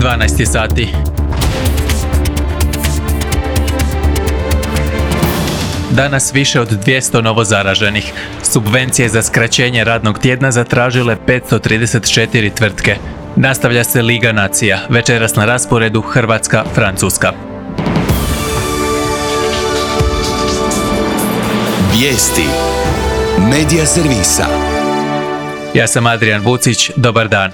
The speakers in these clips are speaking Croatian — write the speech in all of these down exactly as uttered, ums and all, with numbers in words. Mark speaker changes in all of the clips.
Speaker 1: dvanaest je sati. Danas više od dvjesto novozaraženih. Subvencije za skraćenje radnog tjedna zatražile petsto trideset četiri tvrtke. Nastavlja se Liga nacija. Večeras na rasporedu Hrvatska, Francuska.
Speaker 2: Vijesti Medija servisa.
Speaker 1: Ja sam Adrian Vucić, dobar dan.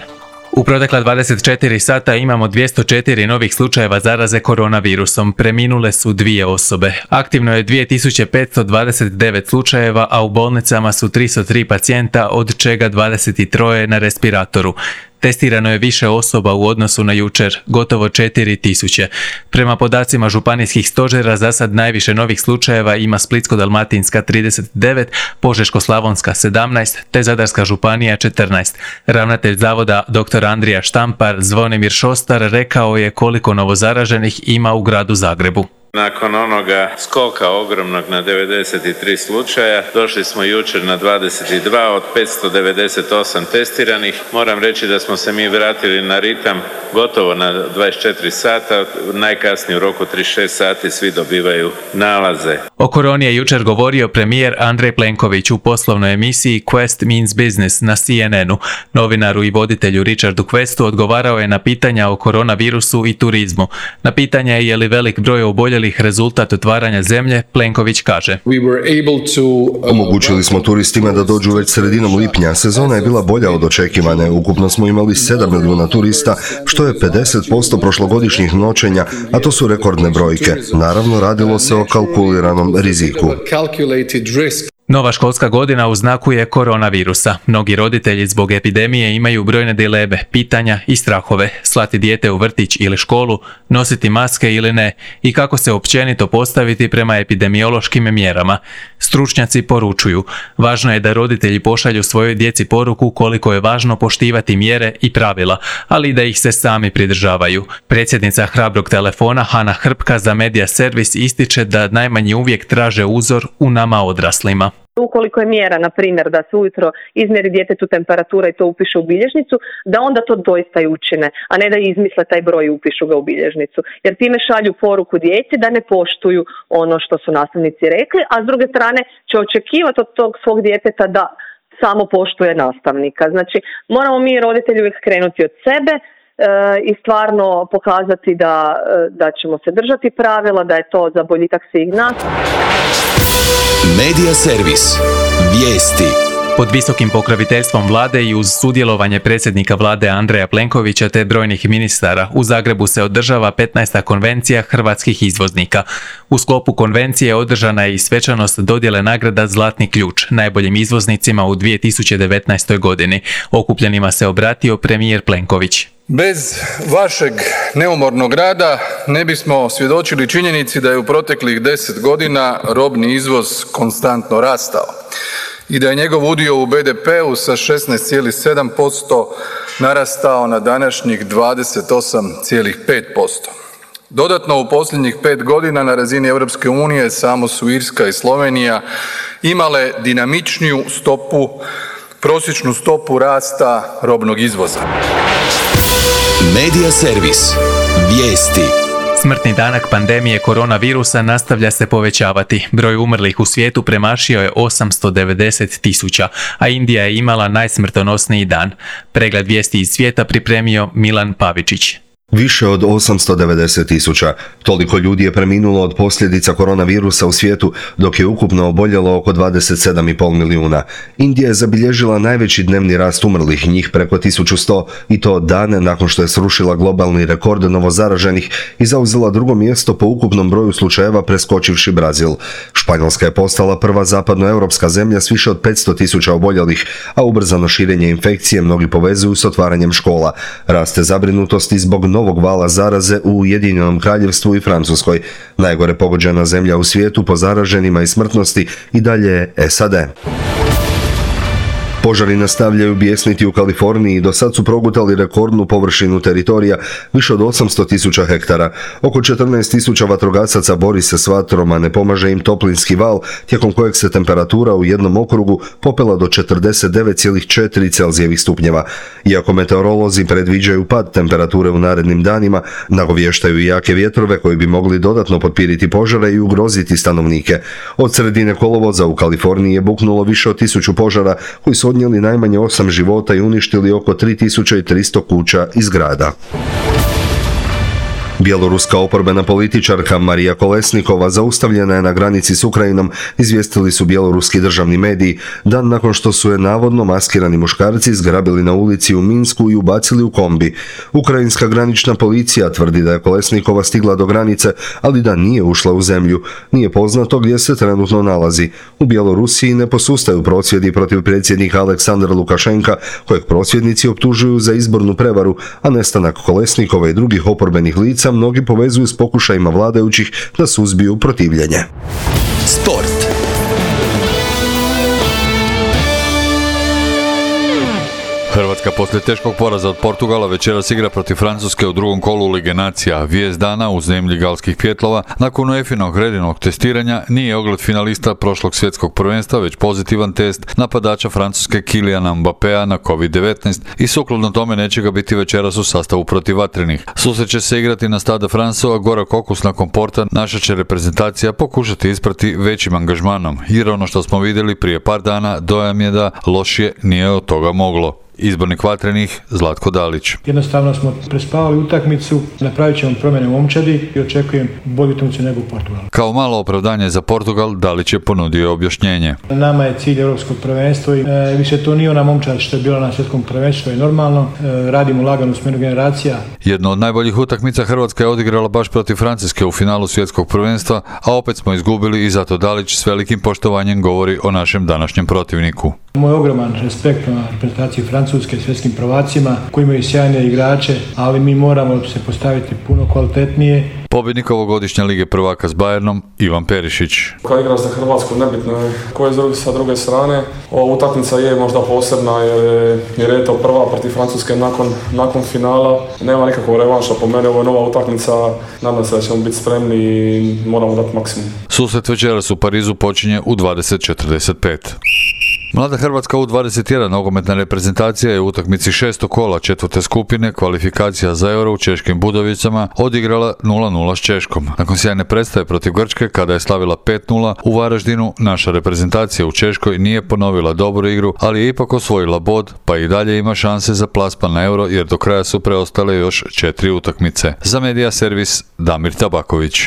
Speaker 1: U protekla dvadeset četiri sata imamo dvjesto četiri novih slučajeva zaraze koronavirusom. Preminule su dvije osobe. Aktivno je dvije tisuće petsto dvadeset devet slučajeva, a u bolnicama su tristo tri pacijenta, od čega dvadeset tri na respiratoru. Testirano je više osoba u odnosu na jučer, gotovo četiri tisuće. Prema podacima županijskih stožera, za sad najviše novih slučajeva ima Splitsko-dalmatinska trideset devet, Požeško-slavonska sedamnaest, te Zadarska županija četrnaest. Ravnatelj zavoda dr. Andrija Štampar Zvonimir Šostar rekao je koliko novozaraženih ima u gradu Zagrebu.
Speaker 3: Nakon onoga skoka ogromnog na devedeset tri slučaja, došli smo jučer na dvadeset dva od petsto devedeset osam testiranih. Moram reći da smo se mi vratili na ritam gotovo na dvadeset četiri sata, najkasnije u roku trideset šest sati svi dobivaju nalaze.
Speaker 1: O koroni je jučer govorio premijer Andrej Plenković u poslovnoj emisiji Quest Means Business na C N N u. Novinaru i voditelju Richardu Questu odgovarao je na pitanja o koronavirusu i turizmu. Na pitanje je li velik broj oboljelih rezultat otvaranja zemlje, Plenković kaže:
Speaker 4: Omogućili smo turistima da dođu već sredinom lipnja. Sezona je bila bolja od očekivane. Ukupno smo imali sedam milijuna turista, što je pedeset posto prošlogodišnjih noćenja, a to su rekordne brojke. Naravno, radilo se o kalkuliranom riziku.
Speaker 1: Nova školska godina u znaku je koronavirusa. Mnogi roditelji zbog epidemije imaju brojne dileme, pitanja i strahove. Slati dijete u vrtić ili školu, nositi maske ili ne i kako se općenito postaviti prema epidemiološkim mjerama. Stručnjaci poručuju, važno je da roditelji pošalju svojoj djeci poruku koliko je važno poštivati mjere i pravila, ali i da ih se sami pridržavaju. Predsjednica Hrabrog telefona Hana Hrpka za Medija servis ističe da najmanji uvijek traže uzor u nama odraslima.
Speaker 5: Ukoliko je mjera, na primjer, da se ujutro izmjeri djetetu temperatura i to upiše u bilježnicu, da onda to doista i učine, a ne da izmisle taj broj i upišu ga u bilježnicu. Jer time šalju poruku djeci da ne poštuju ono što su nastavnici rekli, a s druge strane će očekivati od tog svog djeteta da samo poštuje nastavnika. Znači, moramo mi roditelji uvijek krenuti od sebe e, i stvarno pokazati da, da ćemo se držati pravila, da je to za boljitak svih nas.
Speaker 2: Medija servis. Vijesti.
Speaker 1: Pod visokim pokroviteljstvom vlade i uz sudjelovanje predsjednika vlade Andreja Plenkovića te brojnih ministara, u Zagrebu se održava petnaesta konvencija hrvatskih izvoznika. U sklopu konvencije održana je i svečanost dodjele nagrada Zlatni ključ najboljim izvoznicima u dvije tisuće devetnaestoj godini. Okupljenima se obratio premijer Plenković.
Speaker 6: Bez vašeg neumornog rada ne bismo svjedočili činjenici da je u proteklih deset godina robni izvoz konstantno rastao i da je njegov udio u B D P-u sa šesnaest zarez sedam posto narastao na današnjih dvadeset osam zarez pet posto. Dodatno, u posljednjih pet godina na razini Europske unije samo su Irska i Slovenija imale dinamičniju stopu, prosječnu stopu rasta robnog izvoza.
Speaker 2: Medija servis. Vijesti.
Speaker 1: Smrtni danak pandemije koronavirusa nastavlja se povećavati. Broj umrlih u svijetu premašio je osamsto devedeset tisuća, a Indija je imala najsmrtonosniji dan. Pregled vijesti iz svijeta pripremio Milan Pavičić.
Speaker 4: Više od osamsto devedeset tisuća. Toliko ljudi je preminulo od posljedica koronavirusa u svijetu, dok je ukupno oboljelo oko dvadeset sedam zarez pet milijuna. Indija je zabilježila najveći dnevni rast umrlih, njih preko tisuću sto, i to dan nakon što je srušila globalni rekord novozaraženih i zauzela drugo mjesto po ukupnom broju slučajeva preskočivši Brazil. Španjolska je postala prva zapadnoeuropska zemlja s više od petsto tisuća oboljelih, a ubrzano širenje infekcije mnogi povezuju s otvaranjem škola. Raste zabrinutosti zbog novog vala zaraze u Ujedinjenom Kraljevstvu i Francuskoj. Najgore pogođena zemlja u svijetu po zaraženima i smrtnosti i dalje je S A D. Požari nastavljaju bijesniti u Kaliforniji i do sad su progutali rekordnu površinu teritorija više od osamsto tisuća hektara. Oko četrnaest tisuća vatrogasaca bori se s vatrom, a ne pomaže im toplinski val, tijekom kojeg se temperatura u jednom okrugu popela do četrdeset devet zarez četiri Celzijevih stupnjeva. Iako meteorolozi predviđaju pad temperature u narednim danima, nagovještaju i jake vjetrove koji bi mogli dodatno potpiriti požare i ugroziti stanovnike. Od sredine kolovoza u Kaliforniji je buknulo više od tisuću požara koji su odnijeli najmanje osam života i uništili oko tri tisuće tristo kuća i zgrada. Bjeloruska oporbena političarka Marija Kolesnikova zaustavljena je na granici s Ukrajinom, izvijestili su bjeloruski državni mediji, dan nakon što su je navodno maskirani muškarci zgrabili na ulici u Minsku i ubacili u kombi. Ukrajinska granična policija tvrdi da je Kolesnikova stigla do granice, ali da nije ušla u zemlju. Nije poznato gdje se trenutno nalazi. U Bjelorusiji ne posustaju prosvjedi protiv predsjednika Aleksandra Lukašenka, kojeg prosvjednici optužuju za izbornu prevaru, a nestanak Kolesnikova i drugih oporbenih lica mnogi povezuju s pokušajima vladajućih da suzbiju protivljenje.
Speaker 2: Sport.
Speaker 7: Hrvatska poslije teškog poraza od Portugala večeras igra protiv Francuske u drugom kolu Lige nacija. Vijest dana u zemlji galskih pjetlova nakon UEFA-inog redinog testiranja nije ogled finalista prošlog svjetskog prvenstva, već pozitivan test napadača Francuske Kyliana Mbappéa na kovid devetnaest i sukladno tome neće ga biti večeras u sastavu protiv vatrenih. Susret će se igrati na Stade France, a gorak okus nakon Porta naša će reprezentacija pokušati isprati većim angažmanom, jer ono što smo vidjeli prije par dana dojam je da lošije nije od toga moglo. Izbornik vatrenih Zlatko Dalić.
Speaker 8: Jednostavno smo prespavali utakmicu, napravit ćemo promjene u momčadi i očekujem bolju utakmicu nego u Portugalu.
Speaker 7: Kao malo opravdanje za Portugal, Dalić je ponudio objašnjenje.
Speaker 8: Nama je cilj europskog prvenstva i e, više to nije ona momčad što je bila na svjetskom prvenstvu, što je normalno. E, radimo lagano u smjeru generacija.
Speaker 7: Jedno od najboljih utakmica Hrvatska je odigrala baš protiv Francuske u finalu svjetskog prvenstva, a opet smo izgubili i zato Dalić s velikim poštovanjem govori o našem današnjem protivniku.
Speaker 8: Moj ogroman respekt na reprezentaciji Francuske, svjetskim prvacima koji imaju sjajne igrače, ali mi moramo se postaviti puno kvalitetnije.
Speaker 7: Pobjednik ovogodišnje Lige prvaka s Bayernom Ivan Perišić.
Speaker 9: Kad igraš za Hrvatsku, nebitno je ko je sa druge strane. Ova utakmica je možda posebna jer je, jer je to prva protiv Francuske nakon, nakon finala. Nema nikakvog revanša, po meni ovo je nova utakmica. Nadam se da ćemo biti spremni i moramo dati maksimum.
Speaker 7: Susret večeras u Parizu počinje u dvadeset četrdeset pet. Mlada Hrvatska U dvadeset jedan nogometna reprezentacija je u utakmici šestog kola četvrte skupine kvalifikacija za Euro u Češkim Budovicama odigrala nula nula s Češkom. Nakon sjajne predstave protiv Grčke, kada je slavila pet nula, u Varaždinu naša reprezentacija u Češkoj nije ponovila dobru igru, ali je ipak osvojila bod, pa i dalje ima šanse za plasman na Euro, jer do kraja su preostale još četiri utakmice. Za Medija servis Damir Tabaković.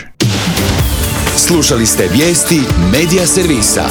Speaker 2: Slušali ste vijesti Medija servisa.